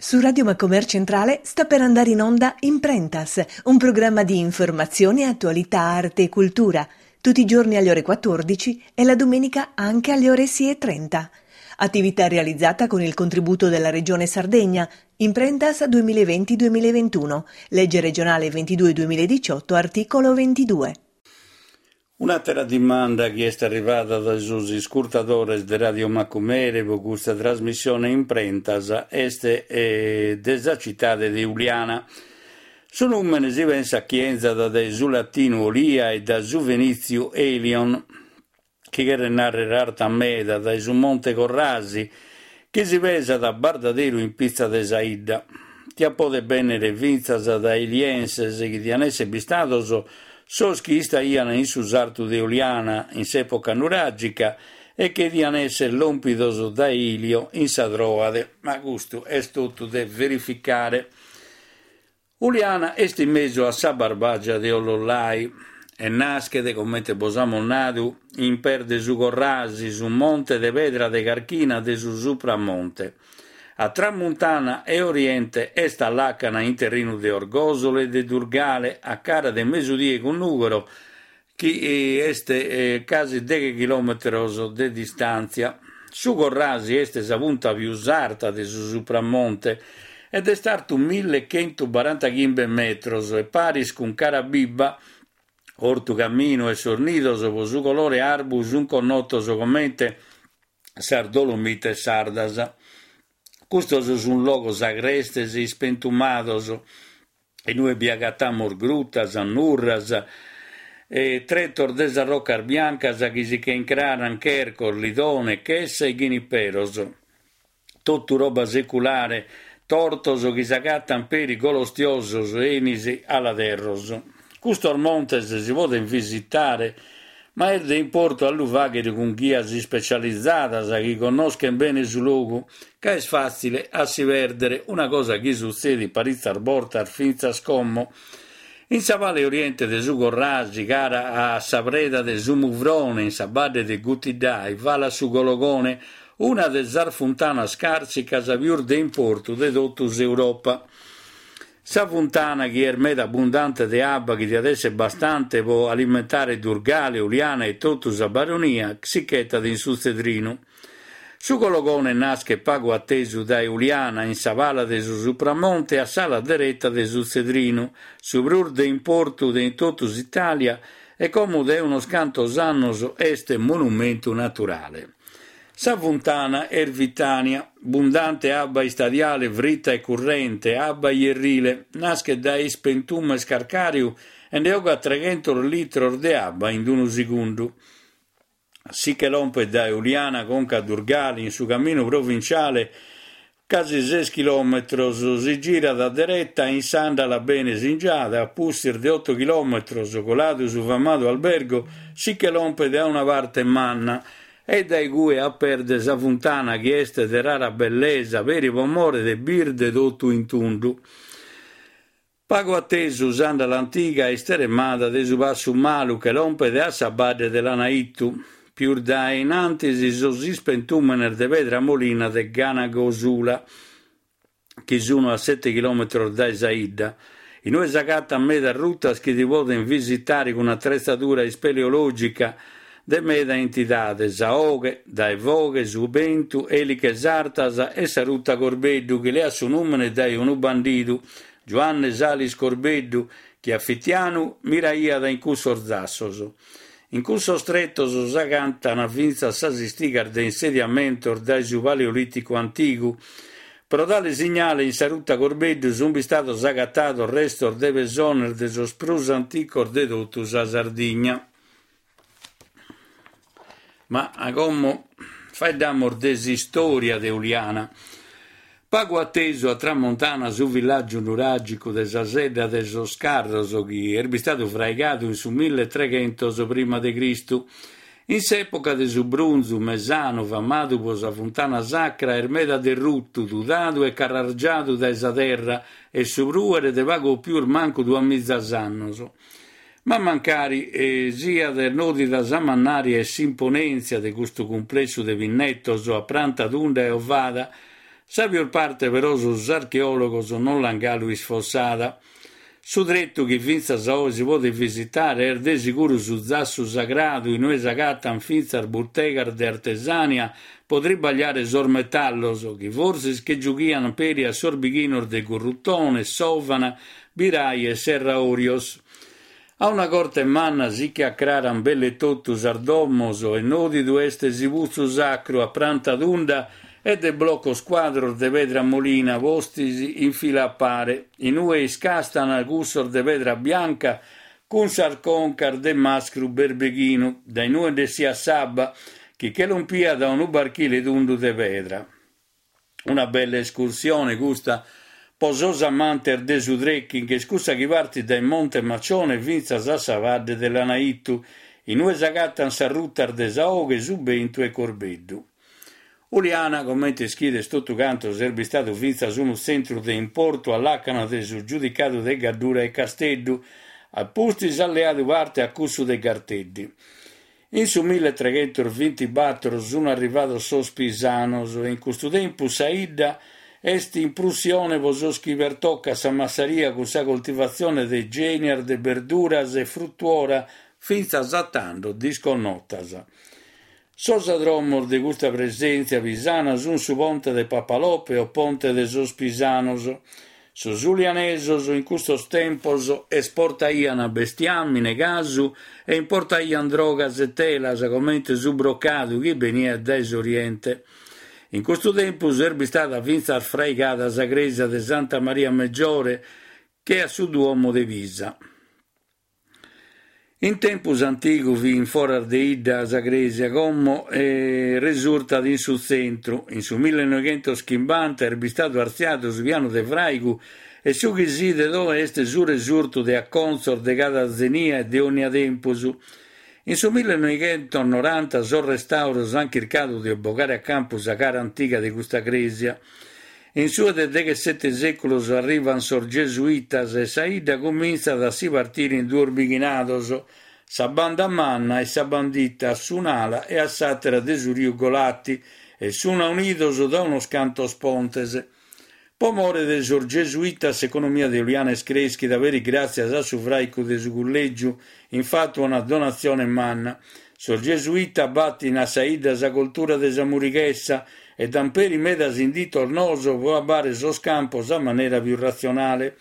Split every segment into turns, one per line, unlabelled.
Su Radio Macomer Centrale sta per andare in onda Imprentas, un programma di informazione, attualità, arte e cultura, tutti i giorni alle ore 14 e la domenica anche alle ore 6.30. Attività realizzata con il contributo della Regione Sardegna, Imprentas 2020-2021, legge regionale 22-2018, articolo 22.
Un'àtera dimanda chi est arrivada dae sos iscurtadores de Radio Macumere pro custa trasmissione Imprentas est de sa citade de Uliana. Su nùmene si pensat chi 'enzat dae su latinu Olia e dae su fenìtziu Elion, chi cheret nàrrere arta meda, dae su monte Corrasi, chi si pesat a bardaderu in pitza de sa 'idda. Tiat poder bènnere fintzas dae Elienses, chi dian èssere bistados sos chi istaian in su sartu de Oliana in s'època nuràgica e che dian èssere lòmpidos dae Ilio in sa Tròade, ma custu est totu de verificare. Uliana est in mesu a sa Barbàgia de Ollollai e naschet, comente bos amus nadu, in pes de su Corrasi, su monte de pedra de carchina de su Supramonte. A tramuntana e oriente est a làcana in terrinu de Orgòsolo e de Durgale, a cara de mesudie cun Nùgoro, chi est casi deghe chilòmetros de distàntzia. Su Corrasi est sa punta pius arta de su Supramonte ed est artu millechentubarantachimbe metros e paris cun Carabibba, Ortu Caminu e Sos Nidos pro su colore arbu sunt connotos comente sas Dolomites sardas. Custos sunt logos agrestes e ispentumados, in ue bi agatamus grutas, nurras e tretos de sas rocas biancas chi si che incraran chercos, lidone, chessa e ghiniperos. Totu roba seculare, tortos chi s'agatan peri golostiosos enis aladerros. Custos montes si podent visitare Ma est de importu a lu fàghere cun ghias ispecializadas chi connoschent bene su logu, ca est fàtzile a si pèrdere, una cosa chi sutzedit paritzas bortas fintzas como. In sa pala 'e oriente de su Corrasi, cara a sa preda de su Muvrone, in sa badde de Gutiddai, falat su Gologone, una de sas funtanas càrsicas pius de importu de totu s'Europa. Sa funtana, chi est meda abbundante de abba chi diat èssere bastante pro alimentare Durgale, Uliana e totu sa Baronia, si ch'etat in su Tzedrinu. Su Gologone naschet pagu a tesu dae Uliana, in sa pala de su Supramonte a s'ala dereta de su Tzedrinu, su prus de importu de in totu s'Itàlia e como dae unos cantos annos est monumentu naturale. Sa funtana est vitània, bundante abba istadiale frita e currente, abba ierrile, naschet dae ispentumes carcàriu e nde 'ogat treghentos litros de abba in unu segundu. Si che lompet dae Uliana conca a Durgali in su caminu provinciale casi ses chilòmetros, si girat a dereta in s'àndala bene singiada, a pustis de oto chilòmetros, coladu su famadu albergo, si che lompet a una parte manna e dae cue a pes de sa funtana chi est de rara bellesa peri pro more de birde totu in tundu. Pagu a tesu s'àndala antiga isteremada de su passu malu che lompet a sa badde de Lanaittu, pius dae in antis sos ispentùmenes de pedra molina de Ganagosula, chi sunu a sete chilòmetros dae sa 'idda, in ue s'agatan medas rutas chi si poden visitare cun atretzadura ispeleològica de meda entidade, sa 'oghe, dae foghe, su bentu, èliches artas e sa ruta Corbeddu chi leat su nùmene dae unu bandidu, Giuanne Salis Corbeddu, chi a fitianu miraiat in cussos zassos. In cussos tretos s'agantan fintzas sas istigas de insediamentos dae su Paleolìticu antigu. Pro dare signale in sa ruta Corbeddu sunt bistados agatados restos de pesones de sos prus anticos de totu sa Sardigna. Ma como faeddamus de s'istòria de Uliana. Pagu a tesu a tramontana su villàgiu nuràgicu de sa Sedda de sos Carros chi est bistadu fraigadu in su milletreghentos prima de Cristu. In s'època de su Brunzu mesanu famadu pro sa funtana sacra est meda derrutu, tudadu e carrargiadu dae sa terra e su prùere de pagu o pius mancu duamizas annos. Ma mancari siat nòdida sa mannària e s'imponèntzia de custu cumplessu de pinnetos a pranta tunda e ovada, Sa pius parte però sos archeòlogos non l'an galu isfossada. Su tretu chi fintzas a oe si podet visitare est de siguru su zassu sagradu in ue s'agatan fintzas butegas de artesania pro tribagliare sos metallos, chi forsis che giughian peri a sos bighinos de Gurrutone, Sòvana, Birai e Serraorios. A una corte manna si che acraran belle totu sas domos e nòdidu est su putzu sacru a pranta tunda e de blocos cuadros de pedra molina postis in fila a pare, in ue iscastan cussos de pedra bianca cun sas concas de mascru berbeghinu, dae in ue nd'essiat s'abba, chi che lompiat a unu barchile tundu de pedra. Una bella escursione custa po sos amantes de su trekking est cussa chi partit dae Monte Maccione fintzas a sa Vadde de Lanaittu, in ue s'agatan sas rutas de sa 'Oghe, su Bentu e Corbeddu. Uliana, comente ischides totu cantos, est bistadu fintzas unu tzentru de importu a làcana de su Giudicadu de Gaddura e Casteddu, a pustis at leadu parte a cussu de Garteddi. In su milletreghentos-bintibator sun arrivados sos pisanos e in custu tempus sa 'idda est in prussione pro sos chi pertocat sa massaria cun sa coltivatzione de genias de berduras e frutuora fintzas a tando disconnotas. Sos adromos de custa presèntzia pisana sun su Ponte de Papalope o Ponte de sos Pisanos. Sos ulianesos in custos tempos esportaian bestiàmine, casu e importaian drogas e telas comente su brocadu chi beniat dae s'Oriente. In custu tempus est bistada fintzas fraigada sa crèsia de Santa Maria Meggiore che a su Duomo de Pisa. In tempus antigu fit in foras de 'idda sa crèsia, como resurtat in su tzentru. In su millenoighentos-chimbanta est bistadu artziadu su pianu de fràigu e su chi si 'idet oe est su resurtu de acontzos de cada zenia e de ònnia tempus. In su millenoighentos-noranta sos restàuros ant chircadu de bogare a campu sa cara antiga de custa crèsia. In su de deghessete sèculos arribant sos gesuitas e sa 'idda cumintzat a si partire in duos bighinados, sa banda manna e sa bandita a s'un'ala e a s'àtera de su riu Golati e sun aunidos da unos cantos pontes. Po more de sos gesuitas s'economia de Uliana est crèschida peri gràtzias a su fràicu de su cullègiu in fatu a una donatzione manna. Sos gesuitas batin a sa 'idda sa coltura de sa murighessa e dan peri medas inditos noos pro abbare sos campos a manera pius ratzionale.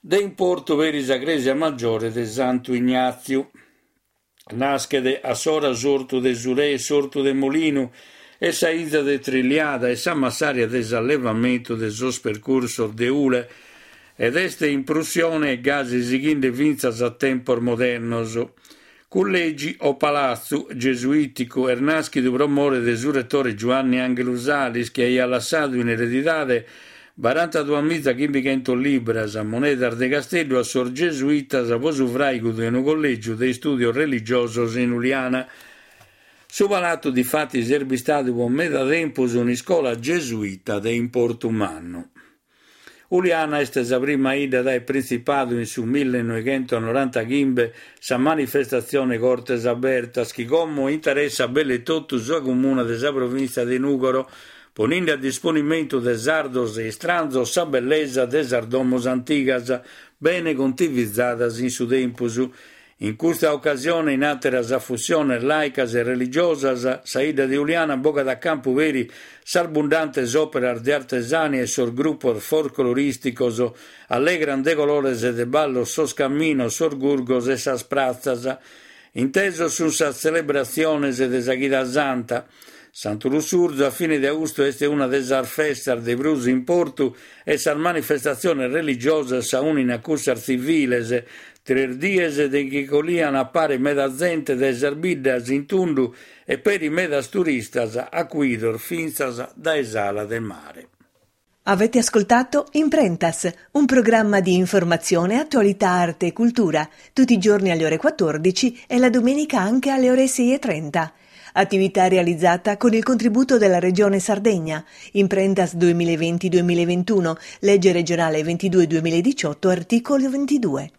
De importu peri sa crèsia maggiore de Santu Ignàtziu. Naschet a s'ora s'ortu de su re, s'ortu de Molinu e sa 'inza de Trilliada e sa massaria de s'allevamentu de sos percursos de Ule ed est in prussione e gasi sighinde fintzas a tempos modernos. Cullegi o palatzu gesuìticu est nàschidu pro more de su retore Giuanni Ànghelu Salis chi aiat lassadu in eredidade barantaduamizachimbichentos libras, monedas de Casteddu a sos gesuitas pro su fràigu de unu collègiu de istùdios religiosos in Uliana. Su palatu difatis est bistadu pro meda tempus un'iscola gesuita de importu mannu. Uliana est sa prima 'idda at aer printzipadu in su millenoighentos-norantachimbe sa manifestatzione Cortes Abertas chi como interessat belle totu sa comuna de sa provìntzia de Nùgoro, poninde a disponimentu de sardos e istranzos sa bellesa de sas domos antigas, bene contivizadas in su tempus. In custa ocasione, in àteras afussiones làicas e religiosas, sa 'idda de Uliana bogat a campu peri sas bundantes òperas de artesania e sos grupos folclorìsticos allegrant de colores e de ballos sos caminos, sos gurgos e sas pratzas. Intesos sunt sas tzelebratziones de sa Chida Santa. Santu Lussurzu a fine de austu est una de sas festas de prus importu e sas manifestatziones religiosas s'aunin a cussas tziviles, tres dies de chi collian a pare meda zente dae sas biddas in tundu e peri medas turistas acuidos fintzas dae s'ala de mare.
Avete ascoltato Imprentas, un programma di informazione, attualità, arte e cultura, tutti i giorni alle ore 14 e la domenica anche alle ore 6.30. Attività realizzata con il contributo della Regione Sardegna. Imprentas 2020-2021, legge regionale 22-2018, articolo 22.